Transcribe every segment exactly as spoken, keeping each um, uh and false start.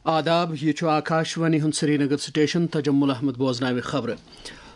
آداب، یہِ چھُ آکاشوانی ہُنٛد سرینگر سٹیشن۔ تجمل احمد بوزناوِ خبرٕ۔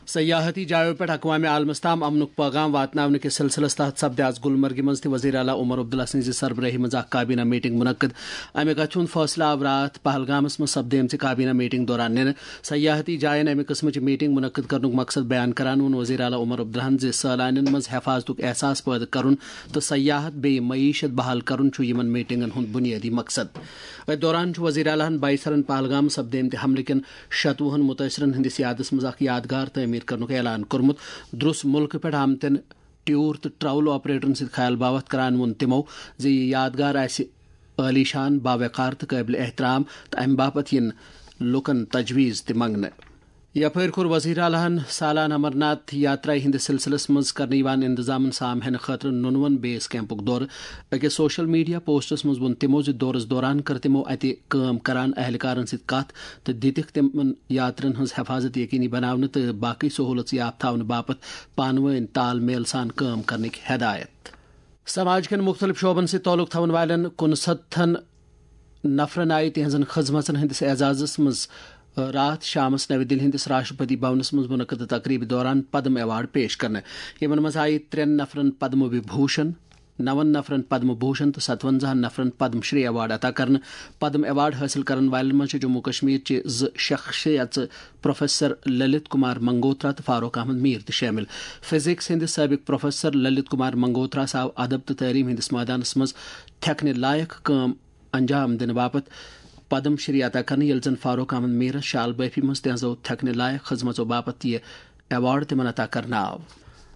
سیاحتی جایو پٮ۪ٹھ اقوام عالمس تام امنُک پیغام واتناونہٕ کِس سلسلس تحت سپدِ آز گلمرگہِ منٛز تہِ وزیر اعلیٰ عمر عبداللہ سٕنٛزِ سربرٲہی منٛز اکھ کابینہ میٹنگ منعقد۔ امہِ کتھِ ہُنٛد فٲصلہٕ آو راتھ پہلگامس منٛز سپدیمژِ کابینہ میٹنگ دوران نِنہٕ۔ سیاحتی جاین امہِ قٕسمٕچ میٹنگ منعقد کرنُک مقصد بیان کران ووٚن وزیر اعلیٰ عمر عبداللہن زِ سٲلانٮ۪ن منٛز حفاظتُک احساس پٲدٕ کرُن تہٕ سیاحت بیٚیہِ معیشت بحال کرُن چھُ یِمن میٹنگن ہُنٛد بُنیٲدی مقصد۔ أتھۍ دوران چھُ وزیر اعلیٰ ہن بایسرن پہلگام سپدیمتہِ حملہٕ کٮ۪ن شتوُہن متٲثرن ہٕنٛدِس یادس منٛز اکھ یادگار تعمیٖر کرنُک اعلان کوٚرمُت۔ درُس مُلکہٕ پٮ۪ٹھ آمتٮ۪ن ٹیور تہٕ ٹریول آپریٹرن سۭتۍ خیال باوتھ کران ووٚن تِمو زِ یہِ یادگار آسہِ عٲلی شان، باوقار تہٕ قٲبلِ احترام تہٕ امہِ باپتھ یِن لوٗکن تجویز تہِ منٛگنہٕ۔ یپٲرۍ کوٚر وزیر اعلیٰ ہن سالانہٕ امرناتھ یاترا ہٕنٛدِس سلسلس منٛز کرنہٕ یِوان انتظامن سام ہینہٕ خٲطرٕ نُنون بیس کیمپُک دورٕ۔ أکِس سوشل میڈیا پوسٹس منٛز ووٚن تِمو زِ دورس دوران کٔر تِمو اتہِ کٲم کران اہلکارن سۭتۍ کتھ تہٕ دِتِکھ تِمن یاترن ہٕنٛز حفاظت یقینی بناونہٕ تہٕ باقٕے سہوٗلژ یاب تھاونہٕ باپتھ پانہٕ وٲنۍ تال میل سان کٲم کرنٕکۍ ہدایت۔ سماج کٮ۪ن مُختٔلِف شعبن سۭتۍ تعلق تھاون والٮ۪ن کُنسَتتھن نفرن آیہِ تِہنٛزن خدمژن ہٕنٛدِس اعزازس منٛز راتھ شامس نَوِ دِلہِ ہٕنٛدِس راشٹرپتی بھونس منٛز منعقدٕ تقریبہِ دوران پدم ایوارڈ پیش کرنہٕ۔ یِمن منٛز آیہِ ترٛٮ۪ن نفرن پدم وبھوشن، نون نفرن پدم بھوشن تہٕ ستونزاہن نفرن پدم شری ایوارڈ عطا کرنہٕ۔ پدم ایوارڈ حٲصِل کرن والٮ۪ن منٛز چھِ جموں کشمیر چہِ زٕ شخصیژٕ پروفیسر للت کمار منگوترا تہٕ فاروق احمد میر تہِ شٲمِل۔ فزکس ہٕنٛدِ سٲبق پروفیسر للت کمار منگوتراہس آو ادب تہٕ تعلیٖم ہٕنٛدِس مٲدانس منٛز تھٮ۪کنہٕ لایق کٲم انجام دِنہٕ باپتھ پدم شری عطا کرنہٕ، ییٚلہِ زن فاروق احمد میرس شال بٲفی منٛز تہنٛزو تھٮ۪کنہٕ لایق خدمژو باپتھ یہِ ایوارڈ تِمن عطا کرنہٕ آو۔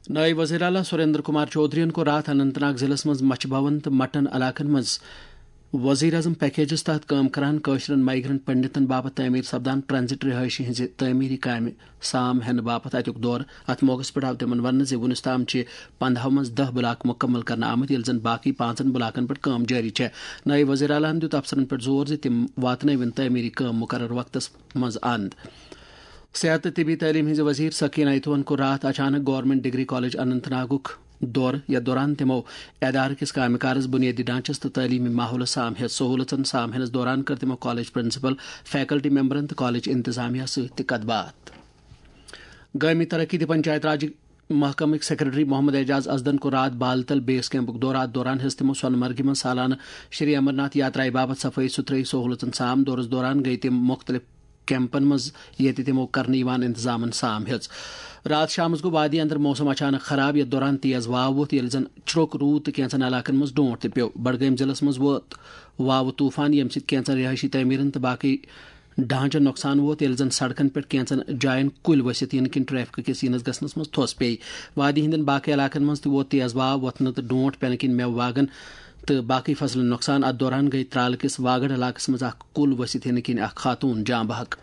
نٲیِب وزیر اعلیٰ سریندر کمار چودھرین کوٚر راتھ اننت ناگ ضلعس منٛز مچھِ بھون تہٕ مٹن علاقن منٛز وزیر اعظم پیکیجس تحت کٲم کران کٲشرٮ۪ن مائیگرنٹ پنڈتن باپتھ تعمیٖر سپدان ٹرانزٹ رہٲیشہِ ہٕنٛزِ تعمیٖری کامہِ سام ہینہٕ باپتھ اتیُک دورٕ۔ اتھ موقعس پٮ۪ٹھ آو تِمن وننہٕ زِ وُنیُس تام چھِ پندہو منٛز دہ بلاک مُکمل کرنہٕ آمٕتۍ، ییٚلہِ زن باقٕے پانٛژن بلاکن پٮ۪ٹھ کٲم جٲری چھےٚ۔ نٲیِب وزیر اعلیٰ ہن دیُت افسرن پٮ۪ٹھ زور زِ تِم واتنٲوِن تعمیٖری کٲم مقرر وقتس منٛز اند۔ صحت تہٕ طبی تعلیٖم ہٕنٛزِ وزیر سکینہ ایتوہن کوٚر راتھ اچانک گورنمنٹ ڈگری کالج اننت ناگُک دورٕ، یتھ دوران تِمو ادارٕ کِس کامہِ کارس، بُنیٲدی ڈھانچس تہٕ تعلیٖمی ماحولس سام ہیٚژ۔ سہوٗلژن سام ہینس دوران کٔر تِمو کالج پرنسپل، فیکلٹی ممبرن تہٕ کالج انتظامیہ سۭتۍ تہِ کتھ باتھ۔ گٲمی ترقی تہٕ پنچایت راج محکمٕکۍ سیکرٹری محمد اعجاز ازدن کوٚر راتھ بالتل بیس کیمپُک دورٕ۔ اتھ دوران ہیٚژ تِمو سۄنہٕ مرگہِ منٛز سالانہٕ شری امرناتھ یاترایہِ باپتھ صفٲیی ستھرٲیی سہوٗلژن سام۔ دورس دوران گٔیہِ تِم مُختٔلِف کیمپن منٛز ییٚتہِ تِمو کرنہٕ یِوان انتظامن سام ہیٚژ۔ راتھ شامس گوٚو وادی اندر موسم اچانک خراب، یتھ دوران تیز واو ووٚتھ، ییٚلہِ زن چھرٛوٚک روٗد تہٕ کینٛژن علاقن منٛز ڈونٛٹھ تہِ پیوٚو۔ بڈگٲمۍ ضلعس منٛز ووت واوٕ طوفان، ییٚمہِ سۭتۍ کینٛژن رہٲیشی تعمیٖرن تہٕ باقٕے ڈھانچن نۄقصان ووت، ییٚلہِ زن سڑکن پٮ۪ٹھ کینٛژن جاین کُلۍ ؤسِتھ یِنہٕ کِنۍ ٹریفک کِس یِنس گژھنس منٛز تھوٚس پیٚیہِ۔ وادی ہٕنٛدٮ۪ن باقٕے علاقن منٛز تہِ ووت تیز واو وۄتھنہٕ تہٕ ڈونٛٹھ پٮ۪نہٕ کِنۍ مٮ۪وٕ باغن تہٕ باقٕے فصلن نۄقصان۔ اتھ دوران گٔیہِ ترالہٕ کِس واگڑ علاقس منٛز اکھ کُل ؤسِتھ یِنہٕ کِنۍ اکھ خاتوٗن جاں بحق۔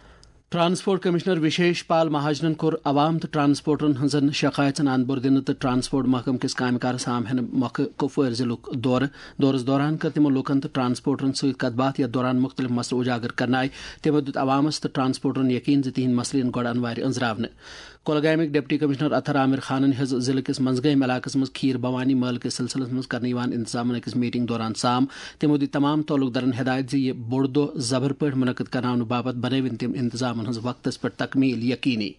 ٹرانسپورٹ کمشنر وشیش پال مہاجنن کوٚر عوام تہٕ ٹرانسپورٹرن ہٕنٛزن شکایژن اند بور دِنہٕ تہٕ ٹرانسپورٹ محکمہٕ کِس کامہِ کارس سام ہینہٕ مۄکھٕ کپوٲرۍ ضلعُک دورٕ۔ دورس دوران کٔر تِمو لوٗکن تہٕ ٹرانسپورٹرن سۭتۍ کتھ باتھ، یتھ دوران مُختٔلِف مسلہٕ اجاگر کرنہٕ آیہِ۔ تِمو دیُت عوامس تہٕ ٹرانسپورٹرن یقین زِ تِہنٛدۍ مسلہٕ یِن گۄڈٕ انوارِ أنٛزراونہٕ۔ کۄلگامیُک ڈپٹی کمشنر اطہر عامر خانن ہیٚژ ضلعہٕ کِس منٛزگٲمۍ علاقس منٛز کھیٖر بھوانی مٲلہٕ کِس سلسلس منٛز کرنہٕ یِوان انتظامن أکِس میٹنگ دوران سام۔ تِمو دِتۍ تمام تعلق دارن ہدایت زِ یہِ بوٚڑ دۄہ زبر پٲٹھۍ منعقد کرناونہٕ باپتھ بنٲوِن تِم انتظامن ہٕنٛز وقتس پٮ۪ٹھ تکمیٖل یقینی۔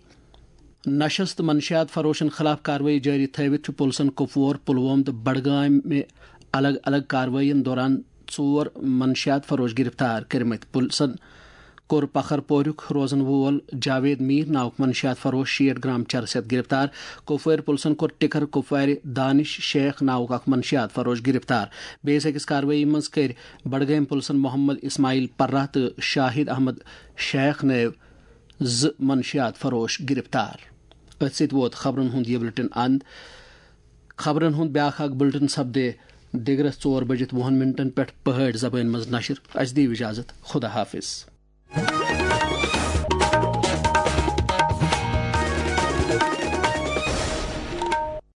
نشس تہٕ منشیات فروشن خلاف کاروٲیی جٲری تھٲوِتھ چھُ پُلسن کپوور، پلووم تہٕ بڈگامہِ الگ الگ کاروٲیین دوران ژور منشیات فروش گرفتار کٔرمٕتۍ۔ پُلسن کوٚر پکھر پوریُک روزن وول جاوید میر ناوُک منشیات فروش شیٹھ گرام چرس ہیتھ گرفتار۔ کپوٲرۍ پُلسن کوٚر ٹکر کپوارِ دانش شیخ ناوُک اکھ منشیات فروش گرفتار۔ بیٚیِس أکِس کاروٲیی منٛز کٔرۍ بڈگٲمۍ پُلسن محمد اسماعیل پرہ تہٕ شاہد احمد شیخ نٲوۍ زٕ منشیات فروش گرفتار۔ أتھۍ سۭتۍ ووت خبرن ہُنٛد یہِ بُلٹن اند۔ خبرن ہُنٛد بیٛاکھ اکھ بُلٹن سپدِ دِگرس ژور بجِتھ وُہن منٹن پٮ۪ٹھ پہٲڑۍ زبٲنۍ منٛز نشر۔ اسہِ دِیِو اجازت۔ خدا حافظ۔